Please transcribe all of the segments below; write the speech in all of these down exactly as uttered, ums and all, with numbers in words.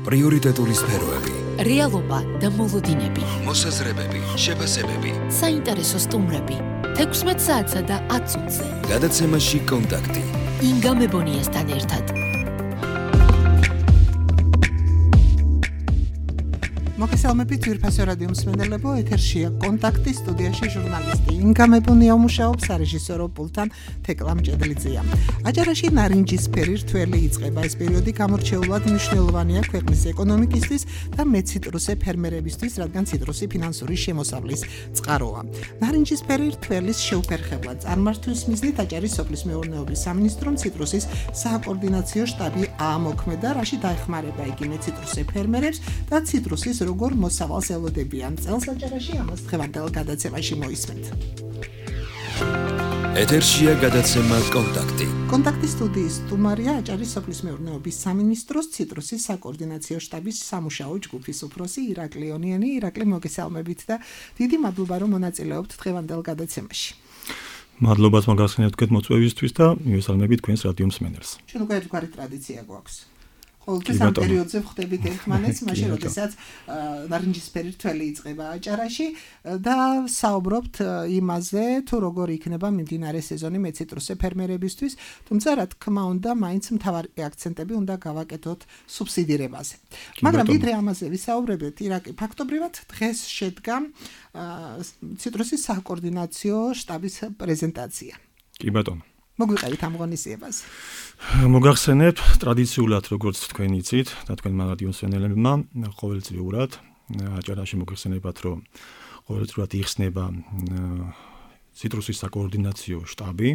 პრიორიტეტული სფეროები, რეალობა და მოლოდინები, მოსაზრებები, შეფასებები, საინტერესო სტუმრები, თექვსმეტ საათსა და ათ წუთზე. გადაცემაში კონტაქტი. ინგა მებონიასთან ერთად. მოგესალმებით ძვირფასო რადიო მსმენელებო, ეთერშია კონტაქტი, სტუდიაში ჟურნალისტი ინგა მებონია მუშაობს, სარეჟისორო პულტთან თეკლა მჭედლიძეა. აჭარაში ნარინჯისფერი რთველი იწყება. ეს პერიოდი გამორჩეულად მნიშვნელოვანია ქვეყნის ეკონომიკისთვის და მეციტრუსე ფერმერებისთვის, რადგან ციტრუსი ფინანსური შემოსავლის წყაროა. ნარინჯისფერი რთველის შეუფერხებლად წარმართვის მიზნით აჭარის სოფლის მეურნეობის სამინისტრომ ციტრუსის სააკოორდინაციო შტაბი აამოქმედა, რაში დაეხმარება იგი მეციტრუსე ფერმერებს და ციტრუსის როგორ მოსავალს ელოდებიან. წელს აჭარაში ამას დღევანდელ გადაცემაში მოისმენთ. ეთერშია გადაცემა კონტაქტი. კონტაქტის სტუდიის სტუმარია აჭარის სოფლის მეურნეობის სამინისტროს ციტრუსის საკოორდინაციო შტაბის სამუშაო ჯგუფის უფროსი ირაკლი ონიანი. ირაკლი, მოგესალმებით და დიდი მადლობა რომ მონაწილეობთ დღევანდელ გადაცემაში. მადლობას მოგახსენებთ თქვენ მოწვევისთვის და მივესალმებით თქვენს რადიო მსმენელს. ჩვენ უკვე ერთგვარი ტრადიცია გვაქვს. ყოველთვის ამ პერიოდზე ვხვდებით ერთმანეთს, მაშინ როდესაც ნარინჯისფერი რთველი იწყება აჭარაში და საუბრობთ იმაზე, თუ როგორ იქნება მიმდინარე სეზონი მეციტრუსე ფერმერებისთვის, თუმცა რა თქმა უნდა, მაინც მთავარი აქცენტები უნდა გავაკეთოთ სუბსიდირებაზე. მაგრამ ვიდრე ამაზე ვისაუბრებთ, ირაკლი, ფაქტობრივად დღეს შედგა ციტრუსის საკოორდინაციო შტაბის პრეზენტაცია. კი ბატონო. მოგვიყევით ამ ღონისძიებას. მოგახსენებთ ტრადიციულად, როგორც თქვენ იცით და თქვენმა რადიო მსმენელებმა, ყოველწლიურად აჭარაში მოგახსენებათ, რომ ყოველწლიურად იხსნება ციტრუსის საკოორდინაციო შტაბი,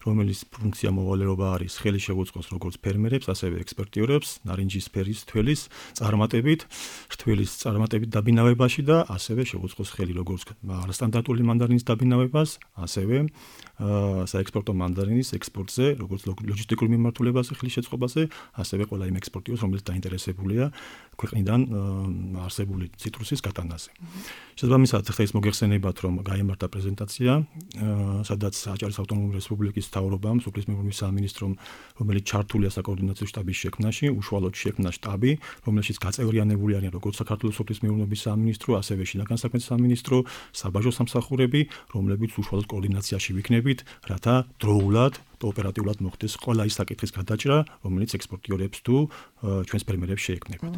რომელიც ფუნქცია მოვალეობა არის ხელი შეუწყოს როგორც ფერმერებს, ასევე ექსპორტიორებს ნარინჯისფერის თველის წარმატებით, რთველის წარმატებით დაბინავებაში და ასევე შეუწყოს ხელი როგორც სტანდარტული მანდარინის დაბინავებას, ასევე საექსპორტო მანდარინის ექსპორტზე, როგორც ლოჯისტიკურ მიმართულებაზე, ხლის შეწყობაზე, ასევე ყველა იმ ექსპორტიორს, რომელიც დაინტერესებულია ქვეყნიდან არსებული ციტრუსის გატანაზე. შესაბამისად, ხა ის მოგეხსენებათ, რომ გაიმართა პრეზენტაცია, სადაც აჭარის ავტონომიური რესპუბლიკის მთავრობამ, სოფლის მეურნეობის სამინისტრომ, რომელიც ჩართულია საკოორდინაციო შტაბის შექმნაში, უშუალოდ შექმნა შტაბი, რომელშიც გაწევრიანებული არიან როგორც საქართველოს სოფლის მეურნეობის სამინისტრო, ასევე შინაგან საქმეთა სამინისტრო, საბაჟო სამსახურები, რომლებიც უშუალოდ კოორდინაციაში ვიქნებით, რათა დროულად და ოპერატიულად მოხდეს ყველა ის საკითხის გადაჭრა, რომელიც ექსპორტიორებს თუ ჩვენს ფერმერებს შეექმნებათ.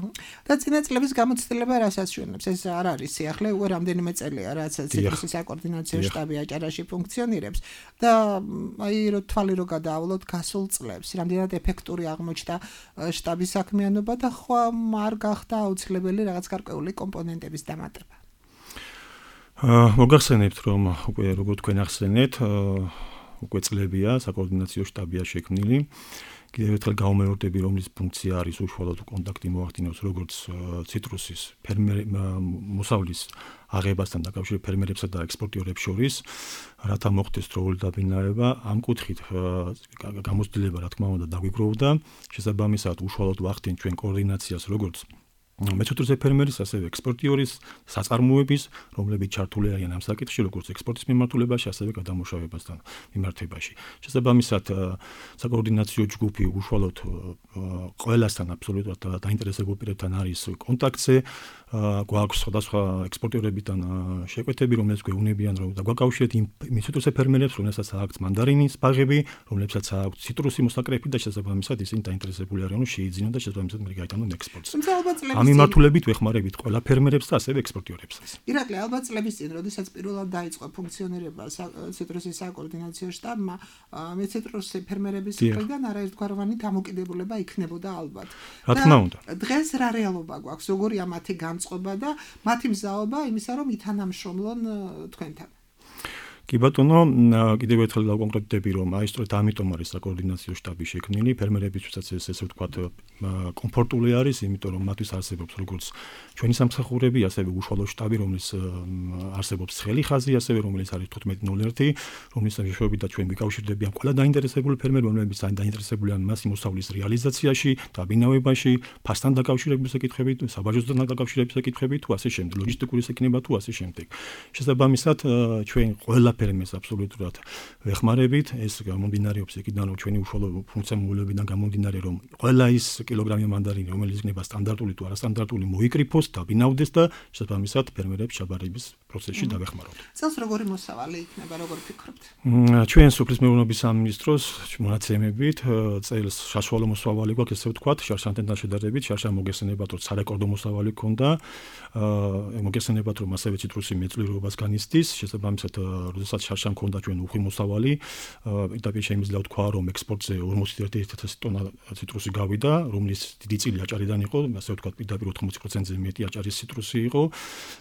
და წინა წლების გამოცდილება რას ასრულებს? ეს არ არის სიახლე, უკვე რამდენიმე წელია, რაც ციტრუსის საკოორდინაციო შტაბი აჭარაში ფუნქციონირებს და აი რო თვალი რო გადაავლოთ გასულ წლებს, რამდენად ეფექტური აღმოჩნდა შტაბის საქმიანობა და ხო არ გახდა აუცილებელი რაღაც გარკვეული კომპონენტების დამატება. მოგახსენებთ, რომ უკვე როგორც თქვენ ახსენეთ, უკვე წლებია საკოორდინაციო შტაბია შექმნილი. კიდევ ერთხელ გავუმეორდები, რომლის ფუნქცია არის უშუალოდ კონტაქტი მოახდინოს როგორც ციტრუსის ფერმერ მოსავლის აღებასთან დაკავშირებით ფერმერებსა და ექსპორტიორებს შორის, რათა მოხდეს დროული დაბინავება, ამ კუთხით გამოცდილება რა თქმა უნდა დაგვიგროვდა. შესაბამისად, უშუალოდ ვახდენთ ჩვენ კოორდინაციას როგორც მეციტრუსე ფერმერის, ასევე ექსპორტიორის საწარმოების, რომლებიც ჩართული არიან ამ საკითხში, როგორც ექსპორტის მიმართულებაში, ასევე გადამუშავებასთან მიმართებაში. შესაბამისად, საკოორდინაციო ჯგუფი უშუალოდ ყველასთან აბსოლუტურად დაინტერესებულ პირებთან არის კონტაქტზე, გვაქვს სხვადასხვა ექსპორტიორებიდან შეკვეთები, რომლებიც გვეუბნებიან, რომ დაგვაკავშირეთ იმ მეციტრუსე ფერმერებს, რომლებსაც აქვთ მანდარინის ბაღები, რომლებსაც აქვთ ციტრუსი მოსაკრეფი და შესაბამისად ისინი დაინტერესებული არიან, რომ შეიძინონ და შესაბამისად მე გაიტანონ ექსპორტს. ამ მიმართულებით ვეხმარებით ყველა ფერმერებს და ასევე ექსპორტიორებსაც. ირაკლი, ალბათ წლების წინ, როდესაც პირველად დაიწყო ფუნქციონირება ციტრუსის საკოორდინაციო შტაბმა, მეციტრუსე ფერმერების მხრიდან არაერთგვაროვანი დამოკიდებულება იქნებოდა ალბათ. რა თქმა უნდა. დღეს რა რეალობა გვაქვს, როგორია მათი განწყობა და მათი მზაობა იმისა, რომ ითანამშრომლონ თქვენთან? კი ბატონო, კიდევ ერთხელ დავკონკრეტდები, რომ აი სწორედ ამიტომ არის საკოორდინაციო შტაბი შექმნილი, ფერმერებისთვისაც ეს ესე ვთქვათ კომფორტული არის, იმიტომ რომ მათთვის არსებობს როგორც ჩვენი სამსახურები, ასევე უშუალო შტაბი, რომლის არსებობს ცხელი ხაზი, ასევე რომელიც არის თხუთმეტი ნული ერთი, რომლის მეშვეობით და ჩვენ ვიკავშირდებიან ყველა დაინტერესებული ფერმერი, რომლებიც დაინტერესებულია მასი მოსავლის რეალიზაციაში, დაბინავებაში, ფასთან დაკავშირებული საკითხებით, საბაჟოსთან დაკავშირებული საკითხებით, თუ ასე შემდეგ, ლოჯისტიკური საკითხება თუ ასე შემდეგ. შესაბამისად, ჩვენ ყველა ყველაფერი mēs აბსოლუტურად ვეხმარებით. ეს გამომდინარეობს იქიდან, რომ ჩვენი უშუალო ფუნქციონალებიდან გამომდინარე, რომ ყველა ის კილოგრამი მანდარინი, რომელიც იქნება სტანდარტული თუ არასტანდარტული, მოიკრიფოს, დაბინავდეს და შესაბამისად ფერმერებს ჩაბარების პროცესში დავეხმაროთ. წელს როგორი მოსავალი იქნება, როგორ ფიქრობთ? ჩვენ სოფლის მეურნეობის სამინისტროს მონაცემებით წელს საშუალო მოსავალი გვაქვს, ესე ვთქვათ, შარშანთან შედარებით, შარშან მოგესწრებათ, რომ სარეკორდო მოსავალი ქონდა, მოგესწრებათ, რომ ასევე ციტრუსი მეწლიერობას განიცდის, შესაბამისად, როდესაც შარშან ქონდა ჩვენ უხვი მოსავალი, პირდაპირ შემიძლია ვთქვა, რომ ექსპორტზე ორმოცი ათასი ტონა ციტრუსი გავიდა, რომლის დიდი წილი აჭარიდან იყო, ასე ვთქვათ, პირდაპირ ოთხმოცი პროცენტზე მეტი აჭარის ციტრუსი იყო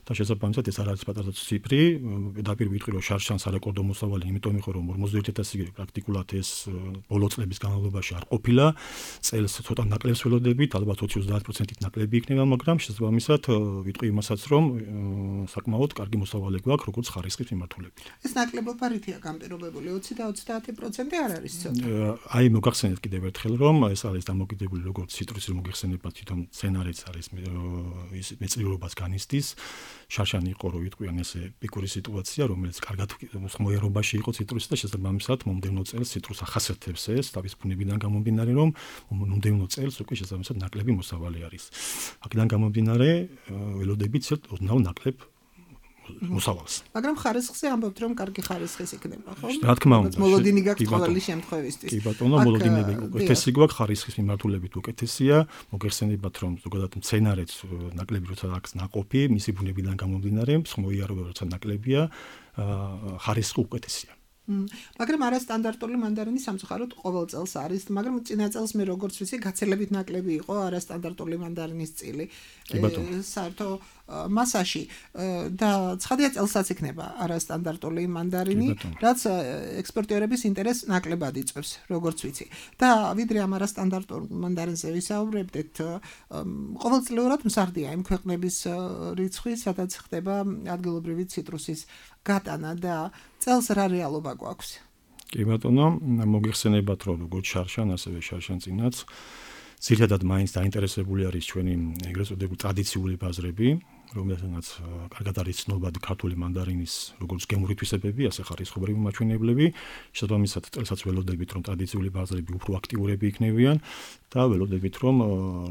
და შესაბამისად ეს არ არის პატარა ციფრი, პირდაპირ ვიტყვი, რომ შარშან სარეკორდო მოსავალი, იმიტომ იყო, რომ ორმოცი ათასი პრაქტიკულად ეს ბოლო წლების განმავლობაში არ ყოფილა, წელს ცოტა ნაკლებს ველოდებით, ალბათ ოცი ოცდაათი პროცენტით ნაკლები იქნება, მაგრამ შესაბამისად ვიტყვი იმასაც, რომ საკმაოდ კარგი მოსავალი გვაქვს, როგორც ხარისხის მიმართულებით. ეს ნაკლებობა რითია განპირობებული? ოცი და ოცდაათი პროცენტი არ არის ცოტა. აი მოგახსენეთ კიდევ ერთხელ, რომ ეს არის დამოკიდებული როგორც ციტრუსი მოგეხსენება თვითონ სცენარიც არის ის მეწლიერობას განიცდის. შარშანი იყო, რომ ვიტყვიან ესე პიკური სიტუაცია, რომელიც კარგად მოერობაში იყო ციტრუსი და შესაბამისად მომდევნო წელს ციტრუს ახასიათებს ეს თავის ბუნებიდან გამომდინარე, რომ მომდევნო წელს უკვე შესაბამისად ნაკლები მოსავალი არის. აქედან გამომდინარე ველოდებით ოდნავ ნაკლებ მოსავალს. მაგრამ ხარისხზე ამბობთ, რომ კარგი ხარისხის იქნება, ხო? რა თქმა უნდა. მოლოდინი გაქვს ყოველი შემთხვევისთვის. კი ბატონო, მოლოდინები უკეთესი გვაქვს, ხარისხის მიმართულებით უკეთესია. მოგეხსენებათ, რომ ზოგადად მცენარეც ნაკლები როცა აქვს ნაყოფი, მისი ბუნებიდან გამომდინარე, მსხმოიარობა როცა ნაკლებია, ხარისხი უკეთესია. მაგრამ არასტანდარტული მანდარინი სამწუხაროდ ყოველ წელს არის, მაგრამ წინა წელს მე როგორც ვიცი, გაცილებით ნაკლები იყო არასტანდარტული მანდარინის წილი. საერთო მასაში და ცხადია წელსაც იქნება არასტანდარტული მანდარინი, რაც ექსპორტიორების ინტერესს ნაკლებად იწვევს, როგორც ვიცი. და ვიდრე ამ არასტანდარტულ მანდარინზე ვისაუბრებდით, ყოველწლიურად მზარდია იმ ქვეყნების რიცხვი, სადაც ხდება ადგილობრივი ციტრუსის გატანა და წელს რა რეალობა გვაქვს? კი ბატონო, მოგიხსენებათ, რომ როგორც შარშან, ასევე შარშან წინაც ძირითადად მაინც დაინტერესებული არის ჩვენი ეგრეთ წოდებული ტრადიციული ბაზრები, რომელთანაც კარგად არის ცნობადი ქართული მანდარინის როგორც გემური თვისებები, ასე ხარისხობრივი მაჩვენებლები. შესაბამისად, წელსაც ველოდებით, რომ ტრადიციული ბაზრები უფრო აქტიურები იქნებიან და ველოდებით, რომ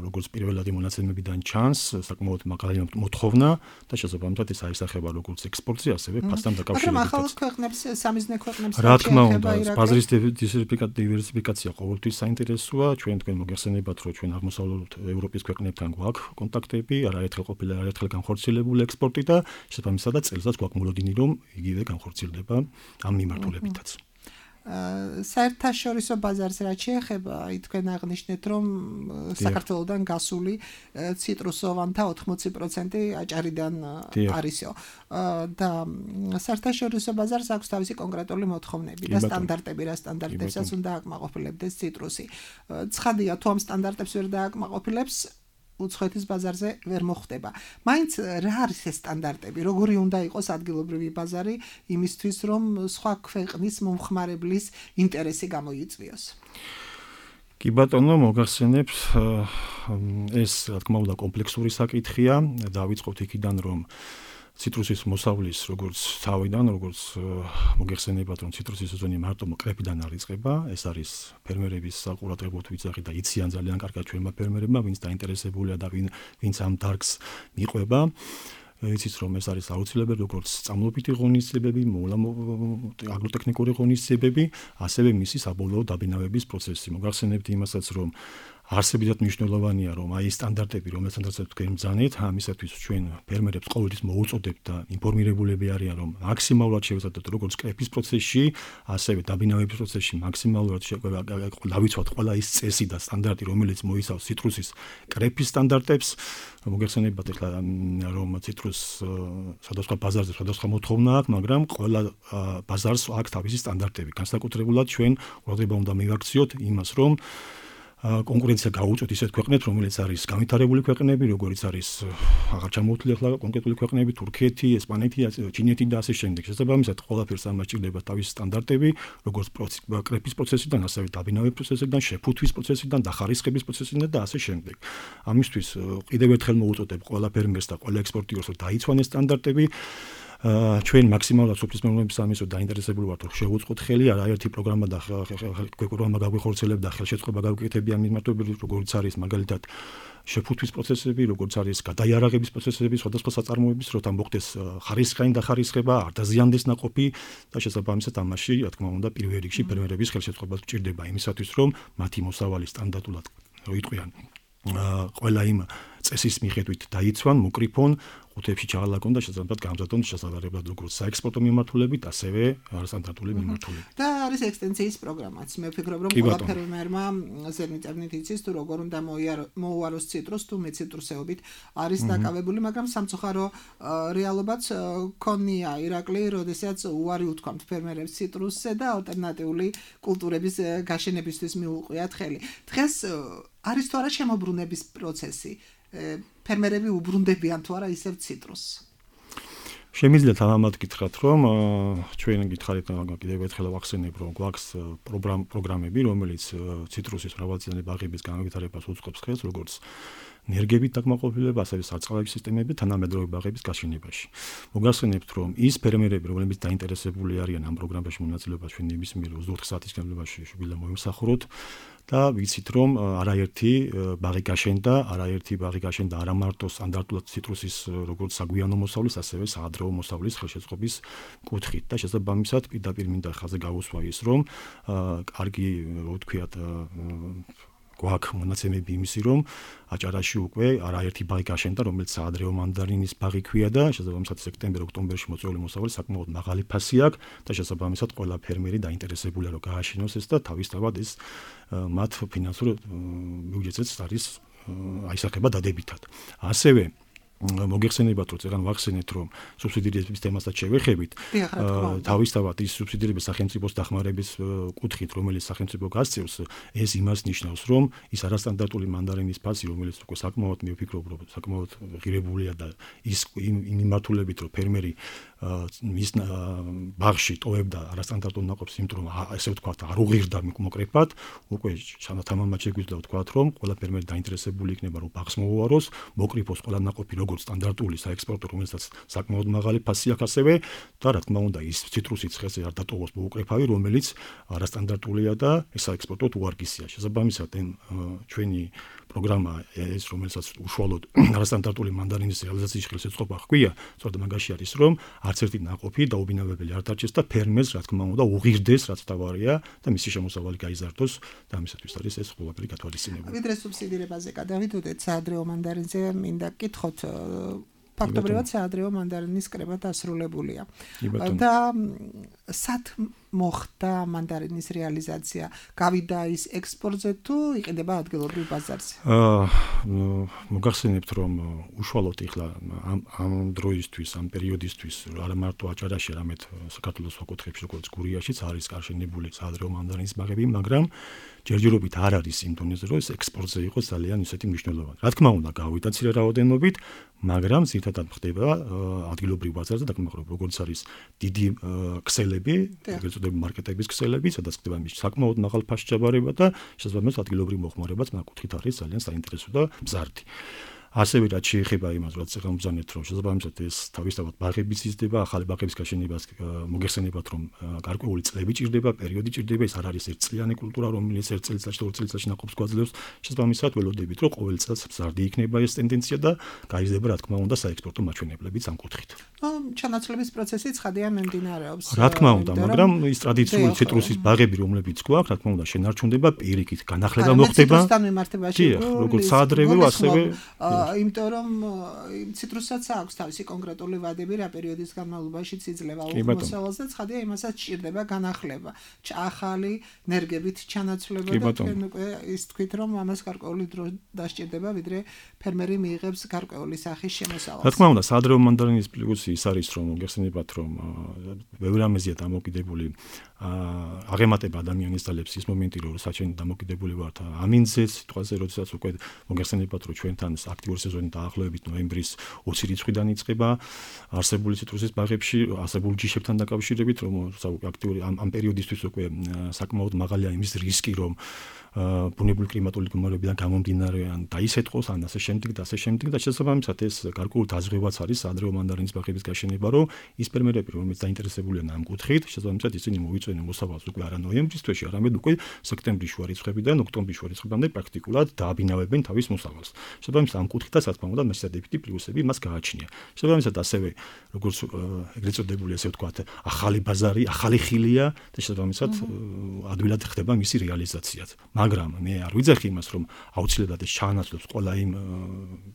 როგორც პირველადი მონაცემებიდან ჩანს, საკმაოდ მაგარი მოთხოვნა და შესაბამისად ეს აისახება როგორც ექსპორტზე, ასევე ფასთან დაკავშირებით. მაგრამ ახალ ქვეყნებს, სამიზნე ქვეყნებს რა თქმა უნდა, ბაზრის დივერსიფიკაცია ყოველთვის საინტერესოა. ჩვენ თქვენ მოგეხსენებათ, რომ ჩვენ აღმოსავლეთ ევროპის ქვეყნებთან გვაქვს კონტაქტები, არაერთხელ ყოფილა, არაერთხელ განხორციელებული ექსპორტი და შესაბამისად წელსაც გვაქვს მოლოდინი, რომ იგივე განხორციელდება ამ მიმართულებითაც. საერთაშორისო ბაზარს რაც შეეხება, თქვენ აღნიშნეთ, რომ საქართველოსდან გასული ციტრუსოვანთა ოთხმოცი პროცენტი აჭარიდან არისო. და საერთაშორისო ბაზარს აქვს თავისი კონკრეტული მოთხოვნები და სტანდარტები, რა სტანდარტებსაც უნდა აკმაყოფილებდეს ციტრუსი. ცხადია, თუ ამ სტანდარტებს ვერ დააკმაყოფილებს, უცხოეთის ბაზარზე ვერ მოხდება. მაინც რა არის ეს სტანდარტები? როგორი უნდა იყოს ადგილობრივი ბაზარი იმისთვის, რომ სხვა ქვეყნის მომხმარებლის ინტერესი გამოიწვიოს? კი ბატონო, მოგახსენებთ, ეს რა თქმა უნდა კომპლექსური საკითხია. დავიწყოთ იქიდან, რომ ციტრუსის მოსავლის როგორც თავიდან, როგორც მოგეხსენებათ, რომ ციტრუსის სეზონი მარტო კრეპიდან არ იწყება, ეს არის ფერმერების საყურადღებოდ ვიძახი და იციან ძალიან კარგად ჩვენმა ფერმერებმა, ვინც დაინტერესებულია და ვინც ამ დარგს მიყვება. იცით, რომ ეს არის აუცილებელი როგორც სწავლობითი ღონისძიებები, აგროტექნიკური ღონისძიებები, ასევე მისი საბოლოო დაბინავების პროცესი. მოგახსენებთ იმასაც, რომ არსებითად მნიშვნელოვანია, რომ აი სტანდარტები, რომელთაც თქვენ ბრძანეთ, ამისათვის ჩვენ ფერმერებს ყოველთვის მოუწოდებთ და ინფორმირებულები არიან, რომ მაქსიმალურად შევეცადოთ როგორც კრეპის პროცესში, ასევე დაბინავების პროცესში მაქსიმალურად დავიცვათ ყველა ის წესი და სტანდარტი, რომელიც მოიცავს ციტრუსის კრეპის სტანდარტებს. მოგეხსენებათ ახლა, რომ ციტრუს სხვადასხვა ბაზარზე სხვადასხვა მოთხოვნა აქვს, მაგრამ ყველა ბაზარს აქვს თავისი სტანდარტები. განსაკუთრებულად ჩვენ ყურადღება უნდა მივაქციოთ იმას, რომ კონკურენცია გაუწოთ ისეთ ქვეყნებს, რომელიც არის განვითარებული ქვეყნები, როგორც არის აღარ ჩამოვთვლი ახლა კონკრეტული ქვეყნები, თურქეთი, ესპანეთი, ჩინეთი და ასე შემდეგ. შესაბამისად, ყველაფერს ამას ჭირდება თავისი სტანდარტები, როგორც კრეპის პროცესიდან, ასევე დაბინავების პროცესიდან, შეფუთვის პროცესიდან, დახარისხების პროცესიდან და ასე შემდეგ. ამისთვის კიდევ ერთხელ მოუწოდებ ყველა ფერმერს და ყველა ექსპორტიორს, რომ დაიცვანეს სტანდარტები. ჩვენ მაქსიმალურად სოფლის მეურნეობის სამინისტროს დაინტერესებული ვართ, რომ შევუწყოთ ხელი, არაერთი პროგრამა და პროგრამა გაგვიხორციელებდა, ხელშეწყობა გავუკეთებია მიმართულებით, როგორც არის მაგალითად შეფუთვის პროცესები, როგორც არის გადაიარაღების პროცესები, სხვადასხვა საწარმოების, როცა მოხდეს ხარისხიანი დახარისხება, არ დაზიანდეს ნაყოფი და შესაბამისად ამაში, რა თქმა უნდა, პირველ რიგში ფერმერების ხელშეწყობა სჭირდება იმისათვის, რომ მათი მოსავალი სტანდარტულად როიტყვიან ყველა იმ წესის მიხედვით დაიცვან, მოკრიფონ, ყუთებში ჩაალაგონ და შესაბამისად გამზადონ შესაძლებლად როგორც საექსპორტო მიმართულებით, ასევე არასტანდარტული მიმართულებით. და არის ექსტენსიის პროგრამაც. მე ვფიქრობ, რომ ყველა ფერმერმა ზედმიწევნით იცის, თუ როგორ უნდა მოუაროს ციტრუსს, თუ მეციტრუსეობით არის დაკავებული, მაგრამ სამწუხარო რეალობაც ქონია ირაკლი, როდესაც უარი უთქვამთ ფერმერებს ციტრუსზე და ალტერნატიული კულტურების გაშენებისთვის მიუყვიათ ხელი. დღეს არის თუ არა შემოbrunების პროცესი? ფერმერები უბრუნდებიან თუ არა ისევ ციტრუსს? შემიძლია თამამად გითხრათ, რომ ჩვენ გითხარით კიდევ ერთხელ ვახსენებ, რომ გვაქვს პროგრამები, რომელიც ციტრუსის მრავალწლიანი ბაღების განვითარებას უწყობს ხელს, როგორც ნერგებით დაკმაყოფილება, ასევე სარწყავების სისტემები თანამედროვე ბაღების გაშენებაში. მოგახსენებთ, რომ ის ფერმერები, რომლებიც დაინტერესებული არიან ამ პროგრამაში მონაწილეობას, ჩვენ ნებისმიერ ოცდაოთხ საათის განმავლობაში შეგიძლია მოიმსახუროთ და ვიცით, რომ არაერთი ბაღი გაშენდა, არაერთი ბაღი გაშენდა არა მარტო სტანდარტულად ციტრუსის როგორც საგვიანო მოსავლის, ასევე საადრეო მოსავლის ხელშეწყობის კუთხით და შესაბამისად პირდაპირ მინდა ხაზზე გავუსვა ის, რომ კარგი, რო ვთქვიათ, გვაქვს მონაცემები იმისი, რომ აჭარაში უკვე არაერთი ბაღი გაშენდა, რომელიც საადრეო მანდარინის ბაღი ქვია და შესაბამისად სექტემბერ-ოქტომბერში მოწვეული მოსავალი საკმაოდ მაღალი ფასი აქვს და შესაბამისად ყველა ფერმერი დაინტერესებულია, რომ გააშენოს ეს და თავისთავად ეს მათ ფინანსურ ბიუჯეტზეც არის აისახება დადებითად. ასევე მოგეხსენებათ, რომ წეგან ვახსენეთ, რომ სუბსიდირების თემასაც შევეხებით. თავისთავად ის სუბსიდირების სახელმწიფოს დახმარების კუთხით, რომელიც სახელმწიფო გასწევს, ეს იმას ნიშნავს, რომ ის არასტანდარტული მანდარინის ფასი, რომელიც უკვე საკმაოდ მე ვფიქრობ, რომ საკმაოდ ღირებულია და ის იმ მიმართულებით, რომ ფერმერი მის ბაღში ტოვებდა არასტანდარტულ ნაყოფს, იმიტომ რომ ესე ვთქვათ, არ უღირდა მოკრეფად, უკვე თამამად შეგვიძლია ვთქვათ, რომ ყველა ფერმერი დაინტერესებული იქნება, რომ ბაღს მოუაროს, მოკრიფოს ყველა ნაყოფი როგორც სტანდარტული საექსპორტო, რომელსაც საკმაოდ მაღალი ფასი აქვს ასევე და რა თქმა უნდა ის ციტრუსის ხეზე არ დატოვოს მოუკრეფავი, რომელიც არასტანდარტულია და საექსპორტოდ უარგისია. შესაბამისად ჩვენი პროგრამა ეს რომელსაც უშუალოდ არასტანდარტული მანდარინის რეალიზაციის ხელშეწყობა ჰქვია, სწორედ მაგაში არის, რომ არც ერთი ნაყოფი დაუბინავებელი არ დარჩეს და ფერმერს რა თქმა უნდა უღირდეს, რაც თავარია და მისი შემოსავალი გაიზარდოს და ამისათვის არის ეს ყველაფერი გათვალისწინებული. ვიდრე სუბსიდირებაზე გადავიდოდეთ საადრეო მანდარინზე, მინდა გკითხოთ ფაქტობრივად საადრეო მანდარინის კრება დასრულებულია. და სად მოხდა მანდარინის რეალიზაცია? გავიდა ის ექსპორტზე თუ იყიდება ადგილობრივ ბაზარზე? აა მოგახსენებთ, რომ უშუალოდ ეხლა ამ ამ დროისთვის, ამ პერიოდისთვის არა მარტო აჭარაში, არამედ საქართველოს საკუთრებში, როგორც გურიაშიც არის გარშენებული საადრეო მანდარინის ბაღები, მაგრამ ჯერჯერობით არ არის იმ დონეზე, რომ ეს ექსპორტზე იყოს ძალიან ისეთი მნიშვნელოვანი. რა თქმა უნდა, გავიდა მცირე რაოდენობით, მაგრამ ზირთადად ხდება ადგილობრივ ბაზარზე, დაგმახსოვრებ, როგორც არის დიდი ქსელები, ეგრეთ წოდებული მარკეტების ქსელები, სადაც ხდება მის საკმაოდ მაღალ ფასში ჩაბარება და შესაბამისად ადგილობრივ მოხმარებაც მაგ კუთხით არის ძალიან საინტერესო და მზარდი. ასევე რაც შეეხება იმას, რაც ახლა მბრძანეთ, რომ შესაბამისად ეს თავისთავად ბაღებიც იზრდება, ახალი ბაღების გაშენებას მოგეხსენებათ, რომ გარკვეული წლები ჭირდება, პერიოდი ჭირდება, ეს არ არის ერთწლიანი კულტურა, რომელიც ერთ წელიწადში, ორ წელიწადში ნაყოფს გვაძლევს. შესაბამისად ველოდებით, რომ ყოველ წელს მზარდი იქნება ეს ტენდენცია და გაიზრდება, რა თქმა უნდა, საექსპორტო მაჩვენებლებიც ამ კუთხით. ჩანაცვლების პროცესი ცხადია მიმდინარეობს. რა თქმა უნდა, მაგრამ ის ტრადიციული ციტრუსის ბაღები, რომლებიც გვაქვს, რა თქმა უნდა, შენარჩუნდება პირიქით, განახლება მოხდება. ციტრუსთან მიმართებაში, როგორც საადრევო, ასევე იმიტომ რომ ციტრუსაც აქვს თავისი კონკრეტული ვადები, რა პერიოდის განმავლობაში იძლევა უმოსავალს და ცხადია იმასაც ჭირდება განახლება, ახალი ნერგებით ჩანაცვლება და თქვენ უკვე ის თქვით, რომ ამას გარკვეული დრო დასჭირდება, ვიდრე ფერმერი მიიღებს გარკვეული სახის შემოსავალს. რა თქმა უნდა, საადრევო მანდარინის პლუსი ის არის, რომ მოგეხსენებათ, რომ ბევრი რამეზეა დამოკიდებული, აღემატება ადამიანის ძალებს ის მომენტი, რომ საჩენ დამოკიდებული ვართ ამინძე სიტყვაზე, როდესაც უკვე მოგეხსენებათ, რომ ჩვენთან აქტიური სეზონი დაახლოებით ნოემბრის ოცი რიცხვიდან იწყება არსებული ციტრუსის ბაღებში, არსებული ჯიშებთან დაკავშირებით, რომ აქტიური ამ ამ პერიოდისთვის უკვე საკმაოდ მაღალია იმის რისკი, რომ ბუნებრივი კლიმატური მდგომარეობიდან გამომდინარე დაისეთყოს ან ასე შემდეგ და ასე შემდეგ და შესაბამისად ეს გარკვეული დაზღვევაც არის საადრეო მანდარინის ბაღების გაშენება გაიხსენება, რომ ის ფერმერები, რომლებიც დაინტერესებულია ამ კუთხით, შესაბამისად ისინი მოიწვიდნენ მოსავალს უკვე არა ნოემბრის თვეში, არამედ უკვე სექტემბრის შუა რიცხვებიდან ოქტომბრის შუა რიცხვებამდე პრაქტიკულად დააბინავებენ თავის მოსავალს. შესაბამისად ამ კუთხითაც რა თქმა უნდა მესადეფითი პლუსები მას გააჩნია. შესაბამისად ასევე როგორც ეგრეთ წოდებული ასე ვთქვათ, ახალი ბაზარი, ახალი ხილია და შესაბამისად ადვილად ხდება მისი რეალიზაციაც. მაგრამ მე არ ვიძახი იმას, რომ აუცილებლად ეს ჩაანაცვლებს ყველა იმ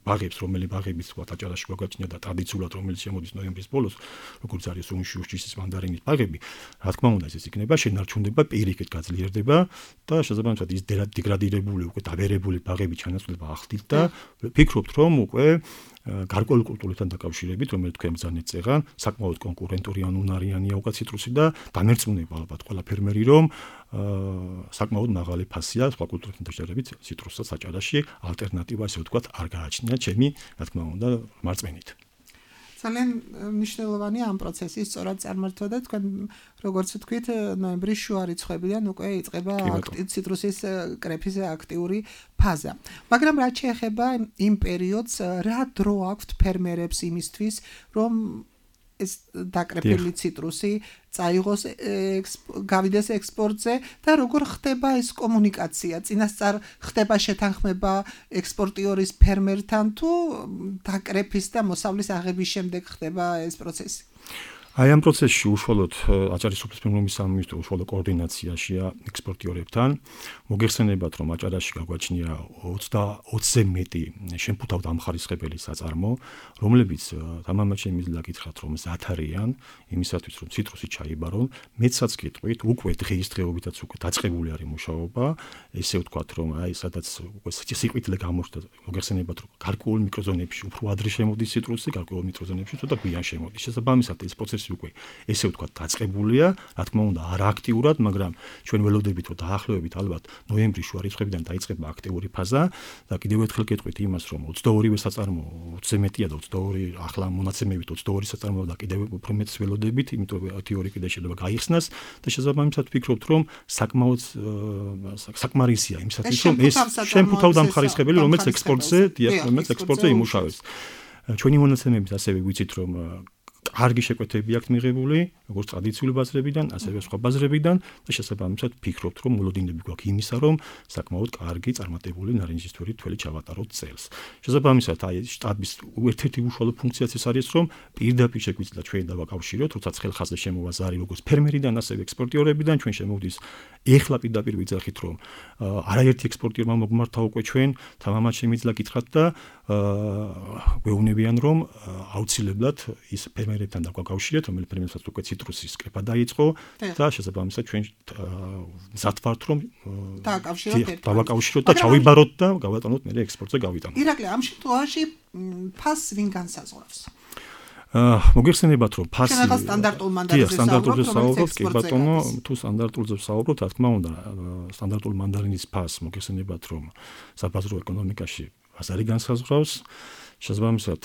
ბაღებს, რომელი ბაღებიც ვთქვათ აჭარაში გვაგაჩნია და ტრადიციულად რომელიც შემოდის ნოემბრის ბოლოს, როგორც არის უმში უშჩისის მანდარინის ბაღები, რა თქმა უნდა ეს იქნება შენარჩუნდება, პირიქით გაძლიერდება და შესაბამისად ის დეგრადირებული, უკვე დაბერებული ბაღები ჩანაცვლება ახდით და ვფიქრობთ, რომ უკვე გარკვეული კულტურებთან დაკავშირებით, რომელიც თქვენ ბრძანეთ წეღან, საკმაოდ კონკურენტური ან უნარიანია უკვე ციტრუსი და დამერწმუნება ალბათ ყველა ფერმერი, რომ საკმაოდ მაღალი ფასია სხვა კულტურებთან დაშორებით ციტრუსსაც აჭარაში ალტერნატივა ასე ვთქვათ არ გააჩნია ჩემი, რა თქმა უნდა, მარწმენით. ძალიან მნიშვნელოვანია ამ პროცესის სწორად წარმართვა და თქვენ როგორც ვთქვით ნოემბრის შუა რიცხვებიდან უკვე იწყება ციტრუსის კრეფის აქტიური ფაზა. მაგრამ რაც შეეხება იმ პერიოდს, რა დრო აქვთ ფერმერებს იმისთვის, რომ ეს დაკრეფილი ციტრუსი წაიღოს გავიდეს ექსპორტზე და როგორ ხდება ეს კომუნიკაცია? წინასწარ ხდება შეთანხმება ექსპორტიორის ფერმერთან თუ დაკრეფის და მოსავლის აღების შემდეგ ხდება ეს პროცესი? აი ამ პროცესში უშუალოდ აჭარის სოფლის ფერმერების სამინისტრო უშუალო კოორდინაციაშია ექსპორტიორებთან. მოგეხსენებათ, რომ აჭარაში გაგვაჩნია ოცზე მეტი შემფუთავ დამხარისხებელი საწარმო, რომლებიც თამამად შემიძლია გითხრათ, რომ მზად არიან იმისათვის, რომ ციტრუსი ჩაიბარონ. მეცაც გიტყვით, უკვე დღეისდღეობითაც უკვე დაწყებული არის მუშაობა, ესე ვთქვათ, რომ აი სადაც უკვე სიყვიტლე გამოჩნდა, მოგეხსენებათ, რომ გარკვეულ მიკროზონებში უფრო ადრე შემოდის ციტრუსი, გარკვეულ მიკროზონებში ცოტა გვიან შემოდის. შესაბამისად ეს პროცესი უკვე ესე ვთქვათ დაწყებულია, რა თქმა უნდა არა აქტიურად, მაგრამ ჩვენ ველოდებით რომ დაახლოებით ალბათ ნოემბრის შუა რიცხვებიდან დაიწყება აქტიური ფაზა და კიდევ ერთხელ გეტყვით იმას, რომ ოცდაორი საწარმო ოცზე მეტია და ოცდაორი ახლა მონაცემებით ოცდაორი საწარმო და კიდევ უფრო მეტს ველოდებით, იმიტომ რომ თეორია კიდე შეიძლება გაიხსნას და შესაბამისად ვფიქრობთ, რომ საკმაოდ საკმარისია იმისათვის, რომ ეს შემფუთავ დამხარისხებელი, რომელიც ექსპორტზე, რომელიც ექსპორტზე იმუშავებს. ჩვენი მონაცემებით ასევე ვიცით, რომ კარგი შეკვეთები აქვს მიღებული, როგორც ტრადიციული ბაზრებიდან, ასევე სხვა ბაზრებიდან და შესაბამისად ვფიქრობთ, რომ მოლოდინები გვაქვს იმისა, რომ საკმაოდ კარგი წარმატებული ნარინჯისფერი თველი ჩავატაროთ წელს. შესაბამისად, აი შტაბის ერთ-ერთი უშუალო ფუნქციაც ეს არის, რომ პირდაპირ შეგვიძლია ჩვენ დავაკავშიროთ, როცა ხელხაზზე შემოვა ზარი როგორც ფერმერიდან, ასევე ექსპორტიორებიდან, ჩვენ შემოვდის ეხლა პირდაპირ ვიძახით, რომ არაერთი ექსპორტიორმა მოგმართა უკვე ჩვენ, თამამად შემიძლია გითხრათ და გვეუბნებიან, რომ აუცილებლად ის ფერმერებთან დაგვაკავშირეთ, რომელიც ფერმერებსაც უკვე ციტრუსის კრეფა დაიწყო და შესაბამისად ჩვენ მზად ვართ, რომ დავაკავშიროთ და ჩავიბაროთ და გავატანოთ მე ექსპორტზე გავიტანოთ. ირაკლი, ამ შემთხვევაში ფასს ვინ განსაზღვრავს? მოგეხსენებათ, რომ ფასი სტანდარტულ მანდარინზე საუბრობთ, კი ბატონო, თუ სტანდარტულზე საუბრობთ, რა თქმა უნდა, სტანდარტულ მანდარინის ფასს მოგეხსენებათ, რომ საბაზრო ეკონომიკაში ბაზარი განსაზღვრავს. შესაბამისად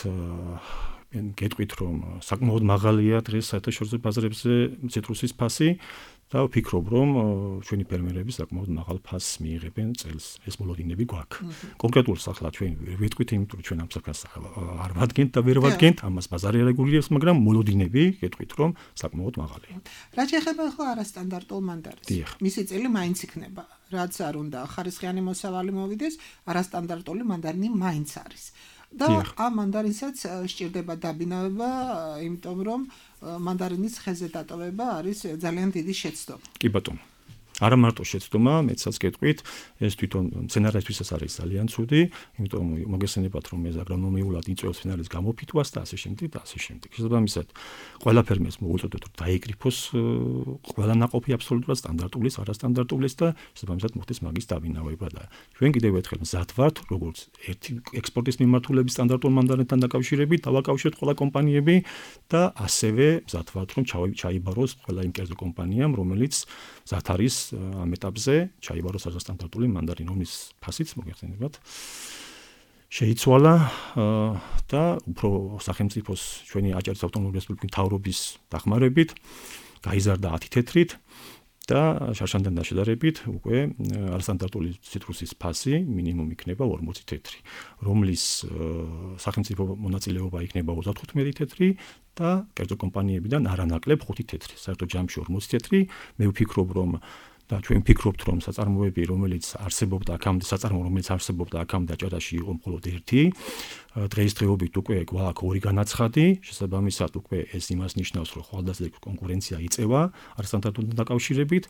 გეტყვით, რომ საკმაოდ მაღალია დღეს საერთაშორისო ბაზრებზე ციტრუსის ფასი და ვფიქრობ, რომ ჩვენი ფერმერები საკმაოდ მაღალ ფასს მიიღებენ წელს. ეს მოლოდინები გვაქვს. კონკრეტულად ახლა ჩვენ ვიტყვით, იმიტომ რომ ჩვენ ამ საფას არ ვადგენთ და ვერ ვადგენთ, ამას ბაზარი რეგულირებს, მაგრამ მოლოდინები გეტყვით, რომ საკმაოდ მაღალია. რა შეეხება ახლა არასტანდარტულ მანდარინს? მისი წელი მაინც იქნება. რაც არ უნდა ხარისხიანი მოსავალი მოვიდეს, არასტანდარტული მანდარინი მაინც არის. და ამ მანდარინსაც სჭირდება დაბინავება, იმიტომ რომ მანდარინის ხეზე დატოვება არის ძალიან დიდი შეცდომა. კი ბატონო. არა მარტო შეცდომა, მეცაც გეტყვით, ეს თვითონ მცენარეთთვისაც არის ძალიან ცუდი, იმიტომ მოგესწრებათ, რომ ეს აგრონომიულად იწვევს მცენარის გამოფიტვას და ასე შემდეგ და ასე შემდეგ. შესაბამისად, ყველა ფერმერს მოუწოდოთ, რომ დაიკრიფოს ყველა ნაყოფი აბსოლუტურად სტანდარტულის, არასტანდარტულის და შესაბამისად მოხდეს მაგის დაბინავება და ჩვენ კიდევ ერთხელ მზად ვართ, როგორც ერთი ექსპორტის მიმართულების სტანდარტულ მანდარინთან დაკავშირებით, დავაკავშიროთ ყველა კომპანიები და ასევე მზად ვართ, რომ ჩაიბაროს ყველა იმ კერძო კომპანიამ, რომელიც მზად არის ამ ეტაპზე ჩაიბაროს არასტანდარტული მანდარინი, რომლის ფასიც მოგეხსენებათ შეიცვალა და უფრო სახელმწიფოს ჩვენი აჭარის ავტონომიური რესპუბლიკის მთავრობის დახმარებით გაიზარდა ათი თეთრით და შარშანთან დაშედარებით უკვე არასტანდარტული ციტრუსის ფასი მინიმუმ იქნება ორმოცი თეთრი, რომლის სახელმწიფო მონაწილეობა იქნება ოცდათხუთმეტი თეთრი და კერძო კომპანიებიდან არანაკლებ ხუთი თეთრი. საერთოდ ჯამში ორმოცი თეთრი. მე ვფიქრობ, რომ და ჩვენ ვფიქრობთ, რომ საწარმოები, რომელიც არსებობდა აქამდე, საწარმო, რომელიც არსებობდა აქამდე აჭარაში იყო მხოლოდ ერთი. დღეისდღეობით უკვე გვაქვს ორი განაცხადი, შესაბამისად უკვე ეს იმას ნიშნავს, რომ ხვალდაზე კონკურენცია იწევა არასტანდარტულთან დაკავშირებით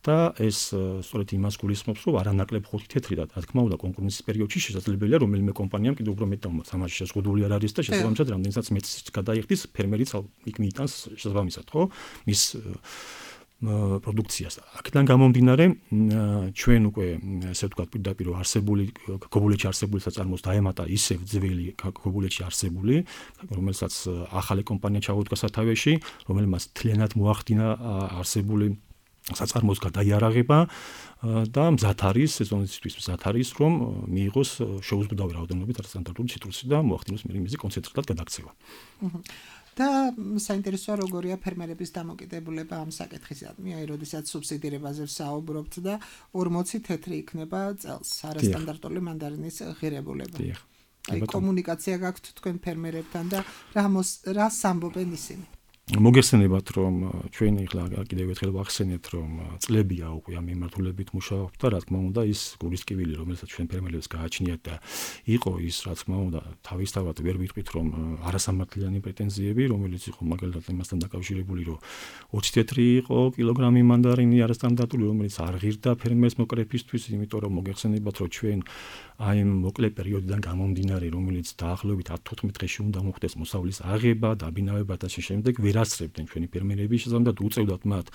და ეს სწორედ იმას გულისხმობს, რომ არანაკლებ ხუთი თეთრი და რა თქმა უნდა კონკურენციის პერიოდში შესაძლებელია რომელიმე კომპანიამ კიდევ უფრო მეტ თამაში შეზღუდული არ არის და შესაბამისად რამდენსაც მეც გადაიხდის ფერმერიც იქ მიიტანს შესაბამისად, ხო? მის პროდუქციას. აქედან გამომდინარე, ჩვენ უკვე ესე ვთქვათ პირდაპირ არსებული ქობულეთში არსებული საწარმოს დაემატა ისევ ძველი ქობულეთში არსებული, რომელსაც ახალი კომპანია ჩაუდგა სათავეში, რომელმაც თლიანად მოახდინა არსებული საწარმოს გადაიარაღება და მზად არის სეზონისთვის მზად არის, რომ მიიღოს შეუზღუდავი რაოდენობით არასტანდარტული ციტრუსი და მოახდინოს მიზი კონცენტრატად გადაქცევა. და საინტერესოა როგორია ფერმერების დამოკიდებულება ამ საკითხისადმი, აი როდესაც სუბსიდირებაზე ვსაუბრობთ და ორმოცი თეთრი იქნება წელს არასტანდარტული მანდარინის ღირებულება. აი კომუნიკაცია გაქვთ თქვენ ფერმერებთან და რა რა სამბობენ ისინი? მოგეხსენებათ, რომ ჩვენ ახლა კიდევ ერთხელ ვახსენეთ, რომ წლებია უკვე ამ მიმართულებით მუშაობთ და რა თქმა უნდა ის გულისკივილი, რომელსაც ჩვენ ფერმერებს გააჩნიათ და იყო ის, რა თქმა უნდა, თავისთავად ვერ ვიტყვით, რომ არასამართლიანი პრეტენზიები, რომელიც იყო მაგალითად იმასთან დაკავშირებული, რომ ოცი თეთრი იყო კილოგრამი მანდარინი არასტანდარტული, რომელიც არ ღირდა ფერმერს მოკრეფისთვის, იმიტომ რომ მოგეხსენებათ, რომ ჩვენ აი მოკლე პერიოდიდან გამომდინარე, რომელიც დაახლოებით ათი-თოთხმეტი დღეში უნდა მოხდეს მოსავლის აღება, დაბინავება და შემდეგ ვერასწრებდნენ ჩვენი ფერმერები, შესაბამისად უწევდათ მათ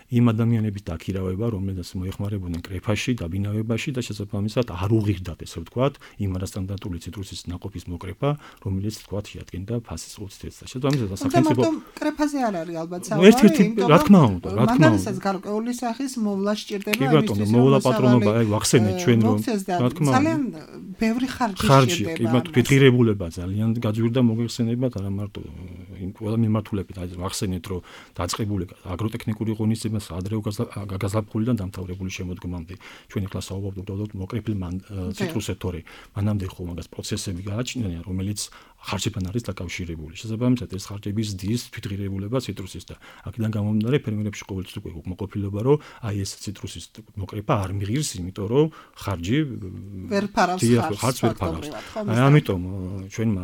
იმ ადამიანების დაქირავება, რომელთაც მოეხმარებოდნენ კრეფაში, დაბინავებაში და შესაბამისად არ უღირდათ, ესე ვთქვათ, იმ არასტანდარტული ციტრუსის ნაყოფის მოკრეფა, რომელიც ვთქვათ შეადგენდა ფასის ოცი თეთრს. შესაბამისად სახელმწიფო კრეფაზე არ არის ალბათ საუბარი, რა თქმა უნდა, რა თქმა უნდა. მანდარინსაც გარკვეული სახის მოვლა სჭირდება იმისთვის. კი ბატონო, მოვლა პატრონობა, აი ვახსენეთ ჩვენ რომ რა თქმა უნდა. ძალიან ბევრი ხარჯი სჭირდება. კი ბატონო, ფეთღირებულება ძალიან გაძვირდა მოგეხსენებათ, არა მარტო იმ ყველა მიმართულებით, აი ვახსენეთ რომ დაწყებული აგროტექნიკური ღონისძიება ადრეულ გაზაფხულიდან დამთავრებული შემოდგომამდე. ჩვენ ახლა საუბრობთ უბრალოდ მოკრეფილ ციტრუსეთორი. მანამდე ხო მაგას პროცესები გააჩნია, რომელიც ხარჯებთან არის დაკავშირებული. შესაბამისად ეს ხარჯები ზრდის თვითღირებულება ციტრუსის და აქედან გამომდინარე ფერმერებში ყოველთვის უკვე უკმაყოფილება, რომ აი ეს ციტრუსის მოკრეფა არ მიღირს, იმიტომ რომ ხარჯი ვერ ფარავს ხარჯს ვერ ფარავს. ამიტომ ჩვენმა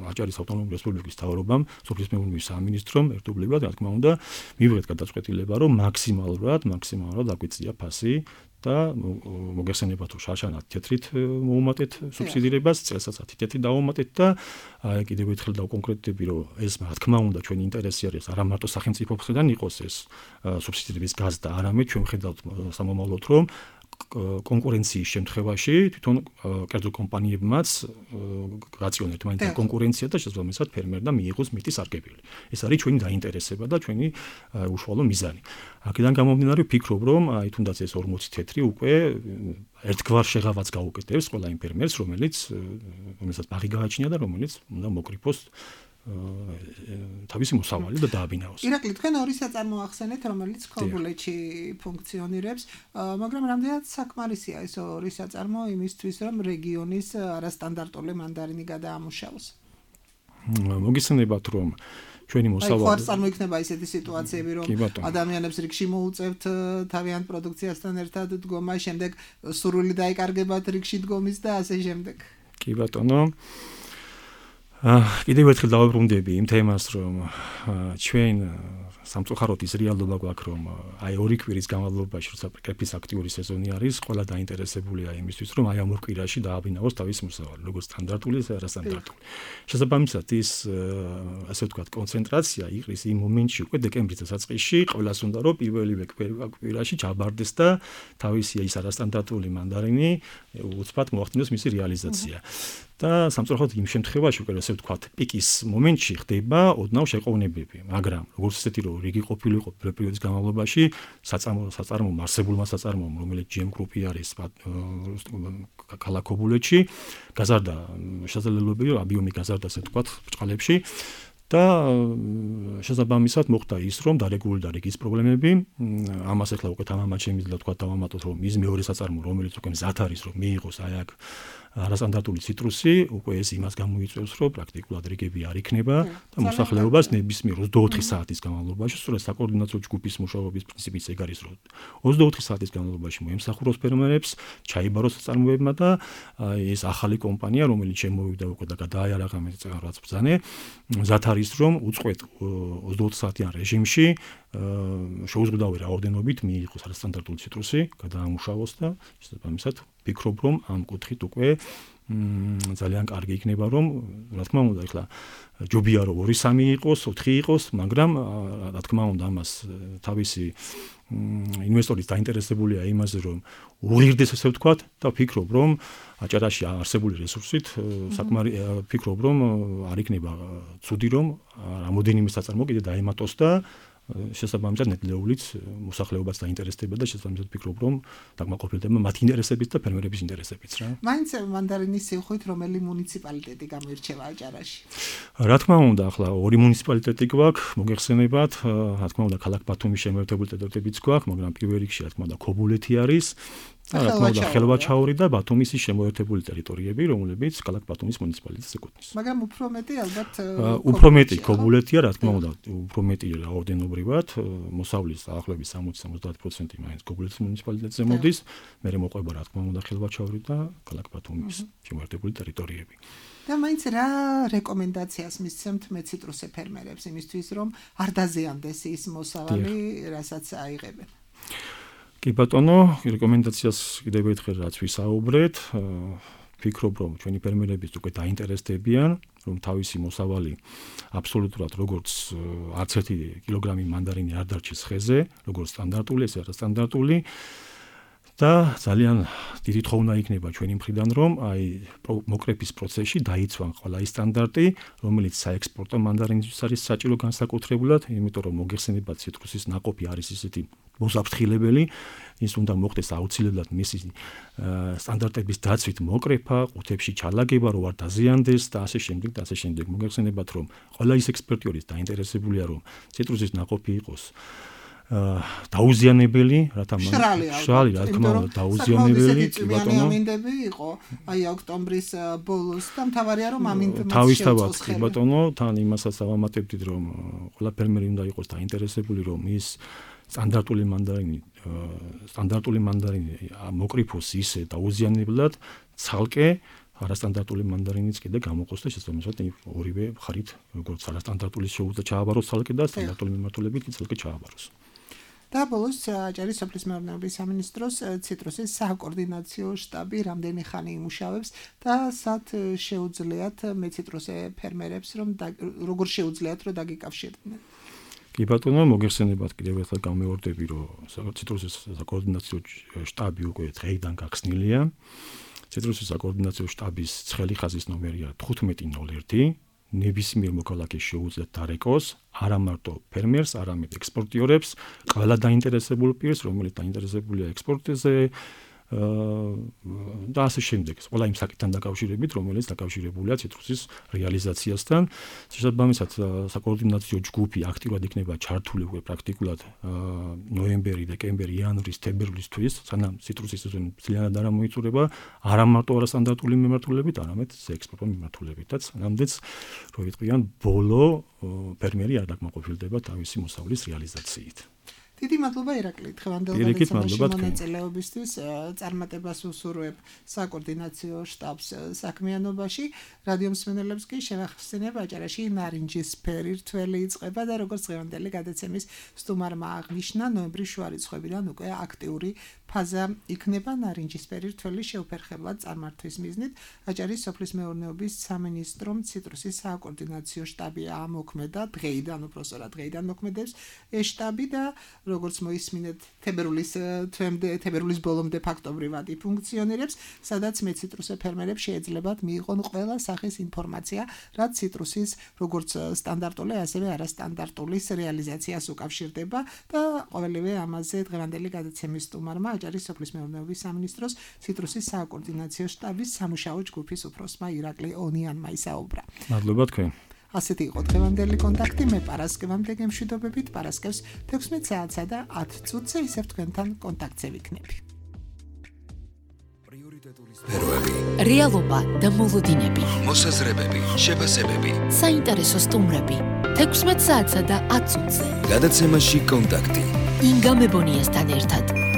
აჭარის ავტონომიური რესპუბლიკის მთავრობამ, სოფლის მეურნეობის სამინისტრომ ერთობლივად, რა თქმა უნდა, მივიღეთ გადაწყვეტილება, რომ მაქსიმალურად, მაქსიმალურად აგვიწია ფასი და მოგეხსენებათ, რომ შარშან ათი თეთრით მოუმატეთ სუბსიდირებას, წელსაც ათი თეთრი დავუმატეთ და კიდევ ერთხელ დავკონკრეტდები, რომ ეს რა თქმა უნდა ჩვენი ინტერესი არის, არა მარტო სახელმწიფოსგან იყოს ეს სუბსიდირების გაზრდა, არამედ ჩვენ ვხედავთ სამომავლოდ, რომ კონკურენციის შემთხვევაში თვითონ კერძო კომპანიებმაც გაწიონ ერთმანეთთან კონკურენცია და შესაბამისად ფერმერმა მიიღოს მეტი სარგებელი. ეს არის ჩვენი დაინტერესება და ჩვენი უშუალო მიზანი. აქედან გამომდინარე ვფიქრობ, რომ აი თუნდაც ეს ორმოცი თეთრი უკვე ერთგვარ შეღავაც გაუკეთებს ყველა იმ ფერმერს, რომელიც რომელსაც ბაღი გააჩნია და რომელიც უნდა მოკრიფოს თავისი მოსავალი და დააბინაოს. ირაკლი, თქვენ ორი საწარმო ახსენეთ, რომელიც ქობულეთში ფუნქციონირებს, მაგრამ რამდენად საკმარისია ეს ორი საწარმო იმისთვის, რომ რეგიონის არასტანდარტული მანდარინი გადაამუშავოს? მოგიხსენებათ, რომ ჩვენი მოსავალი. აი, ხო არ წარმოიქმნება ისეთი სიტუაციები, რომ ადამიანებს რიგში მოუწევთ თავიანთ პროდუქციასთან ერთად დგომა, შემდეგ სურვილი დაიკარგებათ რიგში დგომის და ასე შემდეგ. კი ბატონო. კიდევ ერთხელ დავუბრუნდები იმ თემას, რომ ჩვენ სამწუხაროდ ის რეალობა გვაქვს, რომ აი ორი კვირის განმავლობაში, როცა კრეფის აქტიური სეზონი არის, ყველა დაინტერესებულია იმისთვის, რომ აი ამ ორ კვირაში დააბინავოს თავის მოსავალი, როგორც სტანდარტული, ისე არასტანდარტული. შესაბამისად, ის ასე ვთქვათ, კონცენტრაცია იყრის იმ მომენტში, უკვე დეკემბრის დასაწყისში, ყველას უნდა რომ პირველივე კვირაში ჩაბარდეს და თავისი ის არასტანდარტული მანდარინი უცბად მოახდინოს მისი რეალიზაცია. და სამწუხაროდ იმ შემთხვევაში უკვე ასე ვთქვათ, პიკის მომენტში ხდება ოდნავ შეყოვნებები, მაგრამ როგორც ესეთი რომ რიგი ყოფილიყო პერიოდის განმავლობაში, საწარმო საწარმო არსებულმა საწარმომ, რომელიც ჯი ემ გრუპი არის ქალაქ ქობულეთში, გაზარდა შესაძლებლობები, რომ აბიომი გაზარდა ასე ვთქვათ, ბრჭყალებში და შესაბამისად მოხდა ის, რომ დარეგულირდა რიგის პრობლემები. ამას ახლა უკვე თამამად შემიძლია თქვა დავამატოთ, რომ ის მეორე საწარმო, რომელიც უკვე მზად არის, რომ მიიღოს აი აქ არასტანდარტული ციტრუსი, უკვე ეს იმას გამოიწვევს, რომ პრაქტიკულად რიგები არ იქნება და მოსახლეობას ნებისმიერ ოცდაოთხი საათის განმავლობაში, სწორედ საკოორდინაციო ჯგუფის მუშაობის პრინციპიც ეგ არის, რომ ოცდაოთხი საათის განმავლობაში მოემსახუროს ფერმერებს, ჩაიბაროს საწარმოებმა და ეს ახალი კომპანია, რომელიც შემოვიდა უკვე და გადააიარაღა მე რაღაც ბრძანე, მზად არის, რომ უწყვეტ ოცდაოთხ საათიან რეჟიმში შეუზღუდავი რაოდენობით მიიღოს არასტანდარტული ციტრუსი, გადაამუშავოს და შესაბამისად ვფიქრობ, რომ ამ კუთხით უკვე ძალიან კარგი იქნება, რომ რა თქმა უნდა, ეხლა ჯობია რომ ორი სამი იყოს, ოთხი იყოს, მაგრამ რა თქმა უნდა ამას თავისი ინვესტორის დაინტერესებულია იმაზე, რომ უღირდეს ესე ვთქვათ და ვფიქრობ, რომ აჭარაში არსებული რესურსით საკმარი ვფიქრობ, რომ არ იქნება ცუდი, რომ რამოდენიმე საწარმო კიდე დაემატოს და შესაბამისად ნედლეულიც მოსახლეობას დაინტერესდება და შესაბამისად ვფიქრობ, რომ დაკმაყოფილდება მათი ინტერესებიც და ფერმერების ინტერესებიც რა. მაინც მანდარინის სიუხვით რომელი მუნიციპალიტეტი გამოირჩევა აჭარაში? რა თქმა უნდა, ახლა ორი მუნიციპალიტეტი გვაქვს, მოგეხსენებათ, რა თქმა უნდა, ქალაქ ბათუმის შემოერთებული ტერიტორიებიც გვაქვს, მაგრამ პირველ რიგში რა თქმა უნდა, ქობულეთი არის. რა თქმა უნდა, ხელვაჩაური და ბათუმის შემოერთებული ტერიტორიები, რომლებიც ქალაქ ბათუმის მუნიციპალიტეტს ეკუთვნის. მაგრამ უფრო მეტი ალბათ უფრო მეტი ქობულეთია, რა თქმა უნდა, უფრო მეტი რაოდენობრივად, მოსავლის დაახლოებით სამოცი სამოცდაათი პროცენტი მაინც ქობულეთის მუნიციპალიტეტზე მოდის, მერე მოყვება რა თქმა უნდა ხელვაჩაური და ქალაქ ბათუმის შემოერთებული ტერიტორიები. და მაინც რა რეკომენდაციას მისცემთ მეციტრუსე ფერმერებს იმისთვის, რომ არ დაზიანდეს ის მოსავალი, რასაც აიღებენ? კი ბატონო, რეკომენდაციას კიდევ ერთხელ რაც ვისაუბრეთ, ვფიქრობ, რომ ჩვენი ფერმერებიც უკვე დაინტერესდებიან, რომ თავისი მოსავალი აბსოლუტურად როგორც არც ერთი კილოგრამი მანდარინი არ დარჩეს ხეზე, როგორც სტანდარტული, ესე არასტანდარტული და ძალიან დიდი თხოვნა იქნება ჩვენი მხრიდან, რომ აი მოკრეფის პროცესში დაიცვან ყველა ის სტანდარტი, რომელიც საექსპორტო მანდარინისთვის არის საჭირო განსაკუთრებულად, იმიტომ რომ მოგეხსენებათ ციტრუსის ნაყოფი არის ისეთი მოსაფრთხილებელი, ის უნდა მოხდეს აუცილებლად მისი სტანდარტების დაცვით მოკრეფა, ყუთებში ჩალაგება, რომ არ დაზიანდეს და ასე შემდეგ და ასე შემდეგ. მოგეხსენებათ, რომ ყველა ის ექსპერტი არის დაინტერესებულია, რომ ციტრუსის ნაყოფი იყოს დაუზიანებელი, რათა მშრალი, რა თქმა უნდა, დაუზიანებელი, კი ბატონო. ამინდები იყო, აი ოქტომბრის ბოლოს და მთავარია რომ ამინდებს თავისთავად, კი ბატონო, თან იმასაც ავამატებდით, რომ ყველა ფერმერი უნდა იყოს დაინტერესებული, რომ ის სტანდარტული მანდარინი, სტანდარტული მანდარინი მოკრიფოს ისე დაუზიანებლად, ცალკე არასტანდარტული მანდარინიც კიდე გამოყოს და შესაბამისად ორივე მხარით, როგორც არასტანდარტული შეუძლია ჩააბაროს ცალკე და სტანდარტული მიმართულებით ცალკე ჩააბაროს. და ბოლოს აჭარის სოფლის მეურნეობის სამინისტროს ციტრუსის საკოორდინაციო შტაბი რამდენი ხანი იმუშავებს და სად შეუძლიათ მეციტრუსე ფერმერებს, რომ როგორ შეუძლიათ რომ დაგიკავშირდნენ? კი ბატონო, მოგეხსენებათ კიდევ ერთხელ გამეორდები, რომ ციტრუსის საკოორდინაციო შტაბი უკვე დღეიდან გახსნილია. ციტრუსის საკოორდინაციო შტაბის ცხელი ხაზის ნომერია თხუთმეტი ნოლ ერთი. ნებისმიერ მოქალაქეს შეუძლიათ დარეკოს, არა მარტო ფერმერს, არამედ ექსპორტიორებს, ყველა დაინტერესებულ პირს, რომელიც დაინტერესებულია ექსპორტზე და ასე შემდეგ. ყველა იმ საკითხთან დაკავშირებით, რომელიც დაკავშირებულია ციტრუსის რეალიზაციასთან. შესაბამისად, საკოორდინაციო ჯგუფი აქტიურად იქნება ჩართული უკვე პრაქტიკულად ნოემბერი, დეკემბერი, იანვრის, თებერვლისთვის, სანამ ციტრუსის სეზონი ძალიანად არ მოიწურება, არა მარტო არასტანდარტული მიმართულებით, არამედ ექსპორტო მიმართულებითაც. სანამდეც, რო ვიტყვიან, ბოლო ფერმერი არ დაკმაყოფილდება თავისი მოსავლის რეალიზაციით. დიდი მადლობა ირაკლი, დღევანდელ გადაცემაში მონაწილეობისთვის, წარმატებას უსურვებ საკოორდინაციო შტაბს საქმიანობაში. რადიო მსმენელებს კი შევახსენებ, აჭარაში ნარინჯისფერი რთველი იწყება და როგორც დღევანდელი გადაცემის სტუმარმა აღნიშნა, ნოემბრის შუა რიცხვებიდან უკვე აქტიური ფაზა იქნება ნარინჯისფერი რთველი შეუფერხებლად წარმართვის მიზნით. აჭარის სოფლის მეურნეობის სამინისტრომ ციტრუსის საკოორდინაციო შტაბი ამოქმედა, დღეიდან უბრალოდ დღეიდან მოქმედებს ეს შტაბი და როგორც მოისმინეთ, თებერვლის თვემდე, თებერვლის ბოლომდე ფაქტობრივად იფუნქციონირებს, სადაც მეციტრუსე ფერმერებს შეეძლებათ მიიღონ ყველა სახის ინფორმაცია, რაც ციტრუსის როგორც სტანდარტული, ასევე არასტანდარტული რეალიზაციას უკავშირდება და ყოველივე ამაზე დღევანდელი გადაცემის სტუმარმა აჭარის სოფლის მეურნეობის სამინისტროს ციტრუსის საკოორდინაციო შტაბის სამუშაო ჯგუფის უფროსმა ირაკლი ონიანმა ისაუბრა. მადლობა თქვენ. ასეთი იყო დღევანდელი კონტაქტი. მე პარასკევამდე გემშვიდობებით, პარასკევს თექვსმეტ საათსა და ათ წუთზე ისევ თქვენთან კონტაქტზე ვიქნები. პრიორიტეტული სფეროები, რეალობა და მოლოდინები, მოსაზრებები, შეფასებები. საინტერესო სტუმრები. თექვსმეტ საათსა და ათ წუთზე. გადაცემაში კონტაქტი. ინგა მებონიასთან ერთად.